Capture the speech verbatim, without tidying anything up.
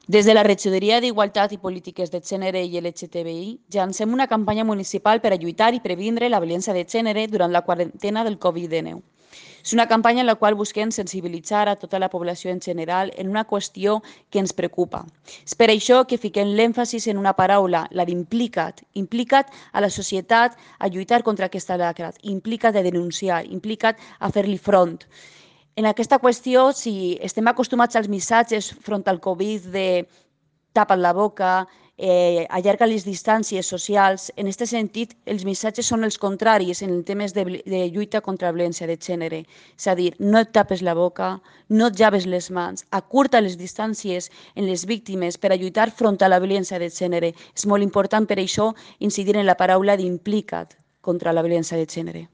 Des de la Regidoria d'Igualtat i Polítiques de Gènere i L G T B I llancem una campanya municipal per a lluitar i previndre la violència de gènere durant la quarantena del Covid dinou. És una campanya en la qual busquem sensibilitzar a tota la població en general en una qüestió que ens preocupa. És per això que fiquem l'èmfasis en una paraula, la d'implica't. Implica't a la societat a lluitar contra aquesta lacra, implica't a denunciar, implica't a fer-li front. En aquesta qüestió, si estem acostumats als missatges front al Covid de tapa't la boca, eh, allarga les distàncies socials, en aquest sentit, els missatges són els contraris en temes de, de lluita contra la violència de gènere. És a dir, no et tapes la boca, no et llaves les mans, acurta les distàncies en les víctimes per a lluitar front a la violència de gènere. És molt important per això incidir en la paraula d'implica't contra la violència de gènere.